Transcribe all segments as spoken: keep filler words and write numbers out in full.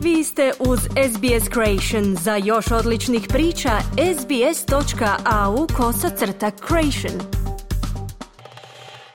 Vi ste uz S B S Creation. Za još odličnih priča, sbs.au kosacrta creation.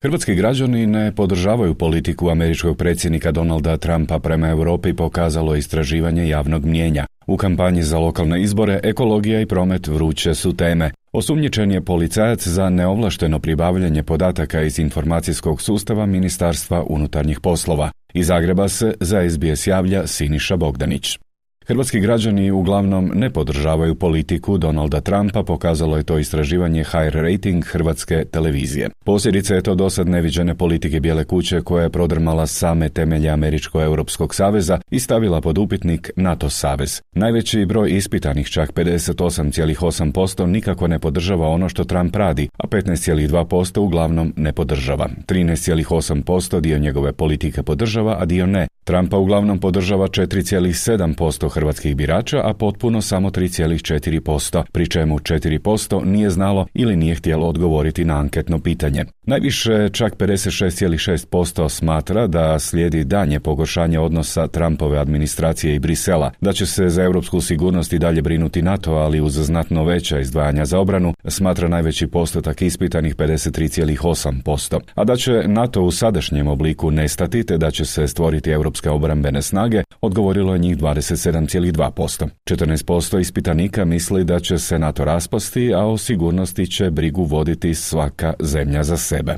Hrvatski građani ne podržavaju politiku američkog predsjednika Donalda Trumpa prema Europi, pokazalo istraživanje javnog mnijenja. U kampanji za lokalne izbore ekologija i promet vruće su teme. Osumnjičen je policajac za neovlašteno pribavljanje podataka iz informacijskog sustava Ministarstva unutarnjih poslova. Iz Zagreba se za S B S javlja Siniša Bogdanić. Hrvatski građani uglavnom ne podržavaju politiku Donalda Trumpa, pokazalo je to istraživanje H R Rating Hrvatske televizije. Posljedica je to dosad neviđene politike Bijele kuće koja je prodrmala same temelje Američko-Europskog saveza i stavila pod upitnik NATO savez. Najveći broj ispitanih, čak pedeset osam zarez osam posto, nikako ne podržava ono što Trump radi, a petnaest zarez dva posto uglavnom ne podržava. trinaest zarez osam posto dio njegove politike podržava, a dio ne. Trumpa uglavnom podržava četiri zarez sedam posto hrvatskih birača, a potpuno samo tri zarez četiri posto, pri čemu četiri posto nije znalo ili nije htjelo odgovoriti na anketno pitanje. Najviše, čak pedeset šest zarez šest posto smatra da slijedi daljnje pogoršanje odnosa Trumpove administracije i Brisela, da će se za europsku sigurnost i dalje brinuti NATO, ali uz znatno veća izdvajanja za obranu, smatra najveći postotak ispitanih pedeset tri zarez osam posto, a da će NATO u sadašnjem obliku nestati te da će se stvoriti europske obrambene snage, odgovorilo je njih dvadeset sedam zarez dva posto. četrnaest posto ispitanika misli da će se NATO raspasti, a o sigurnosti će brigu voditi svaka zemlja za sebe.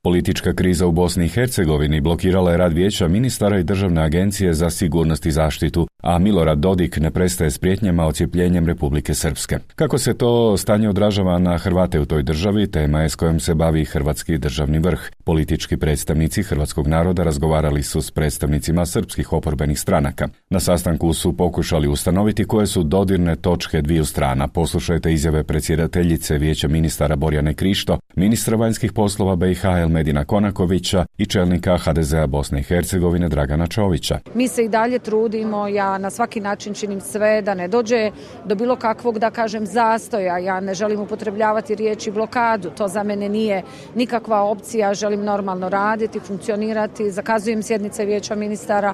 Politička kriza u Bosni i Hercegovini blokirala je rad vijeća ministara i Državne agencije za sigurnost i zaštitu, a Milorad Dodik ne prestaje s prijetnjama odcijepljenjem Republike Srpske. Kako se to stanje odražava na Hrvate u toj državi, tema je s kojom se bavi Hrvatski državni vrh. Politički predstavnici hrvatskog naroda razgovarali su s predstavnicima srpskih oporbenih stranaka. Na sastanku su pokušali ustanoviti koje su dodirne točke dviju strana. Poslušajte izjave predsjedateljice vijeća ministara Borjane Krišto, ministra vanjskih poslova B i H Medina Konakovića i čelnika H D Z-a Bosne i Hercegovine Dragana Čovića. Mi se i dalje trudimo, ja na svaki način činim sve da ne dođe do bilo kakvog, da kažem, zastoja. Ja ne želim upotrebljavati riječi blokadu, to za mene nije nikakva opcija, želim normalno raditi, funkcionirati, zakazujem sjednice vijeća ministara.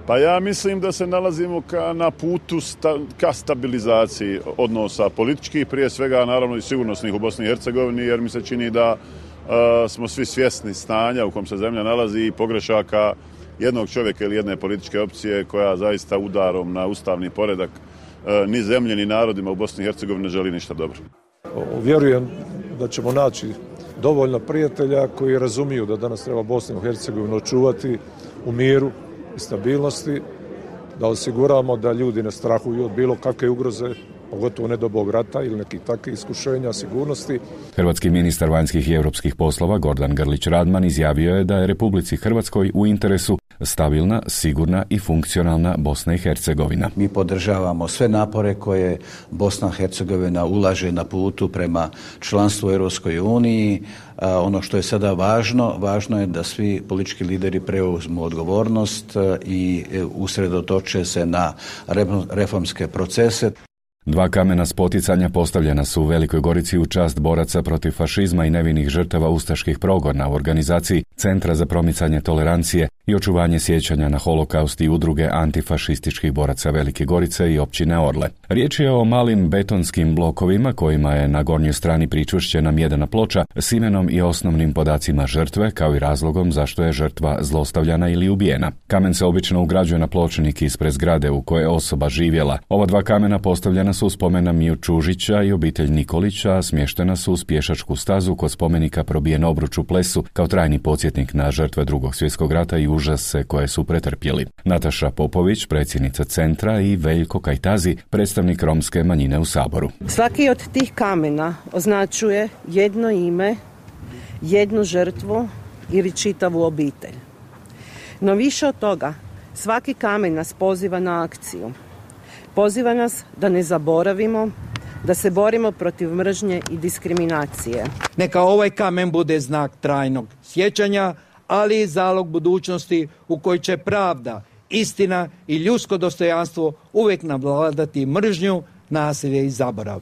Pa ja mislim da se nalazimo ka, na putu sta, ka stabilizaciji odnosa političkih, prije svega naravno i sigurnosnih u Bosni i Hercegovini, jer mi se čini da Uh, smo svi svjesni stanja u kom se zemlja nalazi i pogrešaka jednog čovjeka ili jedne političke opcije koja zaista udarom na ustavni poredak uh, ni zemlje ni narodima u Bosni i Hercegovini ne želi ništa dobro. Vjerujem da ćemo naći dovoljno prijatelja koji razumiju da danas treba Bosnu i Hercegovinu očuvati u miru i stabilnosti, da osiguramo da ljudi ne strahuju od bilo kakve ugroze, pogotovo ne do bog rata ili nekih takvih iskušenja sigurnosti. Hrvatski ministar vanjskih i europskih poslova Gordan Grlić Radman izjavio je da je Republici Hrvatskoj u interesu stabilna, sigurna i funkcionalna Bosna i Hercegovina. Mi podržavamo sve napore koje Bosna i Hercegovina ulaže na putu prema članstvu u Europskoj uniji. Ono što je sada važno, važno je da svi politički lideri preuzmu odgovornost i usredotoče se na reformske procese. Dva kamena spoticanja postavljena su u Velikoj Gorici u čast boraca protiv fašizma i nevinih žrtava ustaških progona u organizaciji Centra za promicanje tolerancije i očuvanje sjećanja na holokaust i udruge antifašističkih boraca Velike Gorice i općine Orle. Riječ je o malim betonskim blokovima kojima je na gornjoj strani pričvršćena mjedena ploča s imenom i osnovnim podacima žrtve, kao i razlogom zašto je žrtva zlostavljana ili ubijena. Kamen se obično ugrađuje na pločnik ispred zgrade u kojoj je osoba živjela. Ova dva kamena postavljena su u spomen na Miju Čužića i obitelj Nikolića, a smještena su uz pješačku stazu kod spomenika Probijen obruč u Plesu kao trajni podsjetnik na žrtve Drugog svjetskog rata i užase koje su pretrpjeli. Nataša Popović, predsjednica centra, i Veljko Kajtazi, predstavnik romske manjine u Saboru. Svaki od tih kamena označuje jedno ime, jednu žrtvu ili čitavu obitelj. No više od toga, svaki kamen nas poziva na akciju. Poziva nas da ne zaboravimo, da se borimo protiv mržnje i diskriminacije. Neka ovaj kamen bude znak trajnog sjećanja, ali i zalog budućnosti u kojoj će pravda, istina i ljudsko dostojanstvo uvijek navladati mržnju, nasilje i zaborav.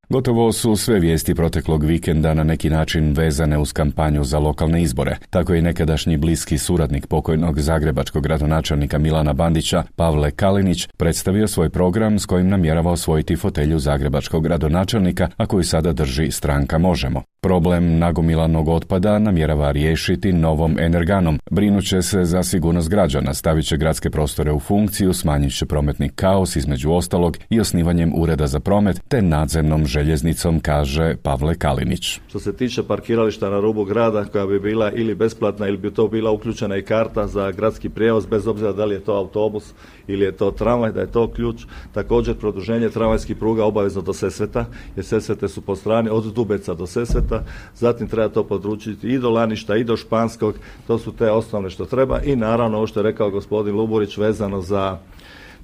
Gotovo su sve vijesti proteklog vikenda na neki način vezane uz kampanju za lokalne izbore. Tako je nekadašnji bliski suradnik pokojnog zagrebačkog gradonačelnika Milana Bandića, Pavle Kalinić, predstavio svoj program s kojim namjerava osvojiti fotelju zagrebačkog gradonačelnika, a koju sada drži stranka Možemo. Problem nagomilanog otpada namjerava riješiti novom energanom. Brinuće se za sigurnost građana, stavit će gradske prostore u funkciju, smanjit će prometni kaos između ostalog i osnivanjem ureda za promet te nadzemnom željeznicom, kaže Pavle Kalinić. Što se tiče parkirališta na rubu grada koja bi bila ili besplatna ili bi to bila uključena i karta za gradski prijevoz, bez obzira da li je to autobus ili je to tramvaj, da je to ključ. Također produženje tramvajskih pruga obavezno do Sesveta, jer Sesvete su po strani od Dubeca do Sesveta. Zatim treba to područiti i do Laništa i do Španskog, to su te osnovne što treba i naravno ovo što je rekao gospodin Luburić vezano za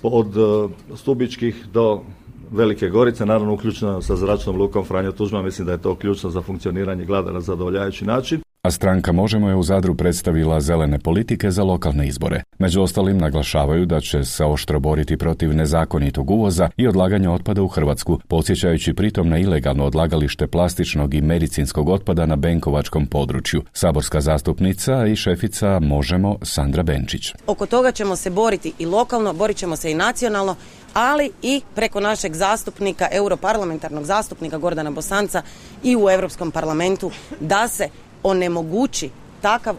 od Stubičkih do Velike Gorice, naravno uključeno sa zračnom lukom Franjo Tuđman, mislim da je to ključno za funkcioniranje grada na zadovoljavajući način. A stranka Možemo je u Zadru predstavila zelene politike za lokalne izbore. Među ostalim naglašavaju da će se oštro boriti protiv nezakonitog uvoza i odlaganja otpada u Hrvatsku, podsjećajući pritom na ilegalno odlagalište plastičnog i medicinskog otpada na Benkovačkom području. Saborska zastupnica i šefica Možemo Sandra Benčić. Oko toga ćemo se boriti i lokalno, borit ćemo se i nacionalno, ali i preko našeg zastupnika, europarlamentarnog zastupnika Gordana Bosanca i u Europskom parlamentu da se onemogući takav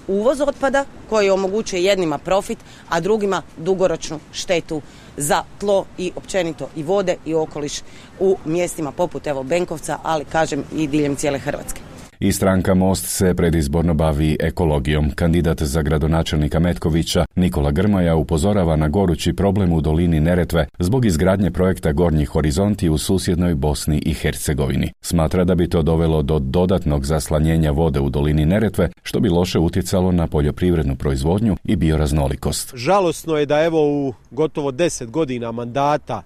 uvoz otpada koji omogućuje jednima profit, a drugima dugoročnu štetu za tlo i općenito i vode i okoliš u mjestima poput evo Benkovca, ali kažem i diljem cijele Hrvatske. I stranka Most se predizborno bavi ekologijom. Kandidat za gradonačelnika Metkovića Nikola Grmoja upozorava na gorući problem u dolini Neretve zbog izgradnje projekta Gornji horizonti u susjednoj Bosni i Hercegovini. Smatra da bi to dovelo do dodatnog zaslanjenja vode u dolini Neretve, što bi loše utjecalo na poljoprivrednu proizvodnju i bioraznolikost. Žalosno je da evo u gotovo deset godina mandata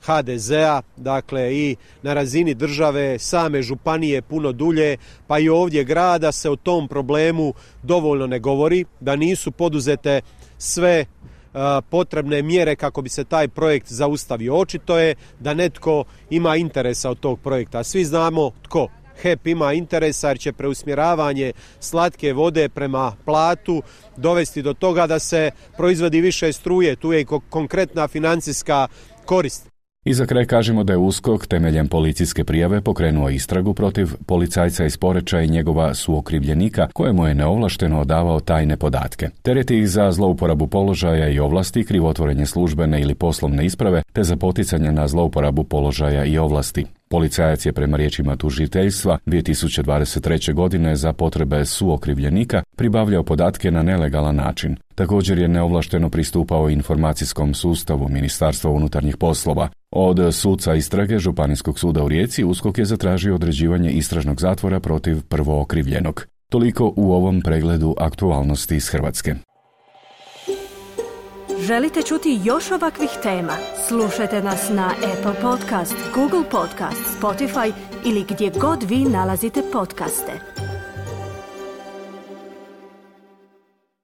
ha de zea, dakle i na razini države, same županije puno dulje, pa i ovdje grada se o tom problemu dovoljno ne govori, da nisu poduzete sve uh, potrebne mjere kako bi se taj projekt zaustavio. Očito je da netko ima interesa od tog projekta. Svi znamo tko. he e pe ima interesa jer će preusmjeravanje slatke vode prema Platu dovesti do toga da se proizvodi više struje. Tu je i konkretna financijska korist. I za kraj kažemo da je USKOK temeljem policijske prijave pokrenuo istragu protiv policajca iz Poreča i njegova suokrivljenika kojemu je neovlašteno odavao tajne podatke. Tereti ih za zlouporabu položaja i ovlasti, krivotvorenje službene ili poslovne isprave te za poticanje na zlouporabu položaja i ovlasti. Policajac je prema riječima tužiteljstva dvije tisuće dvadeset treće. godine za potrebe suokrivljenika pribavljao podatke na nelegalan način. Također je neovlašteno pristupao informacijskom sustavu Ministarstva unutarnjih poslova. Od suca istrage Županijskog suda u Rijeci USKOK je zatražio određivanje istražnog zatvora protiv prvookrivljenog. Toliko u ovom pregledu aktualnosti iz Hrvatske. Želite čuti još ovakvih tema? Slušajte nas na Apple Podcast, Google Podcast, Spotify ili gdje god vi nalazite podcaste.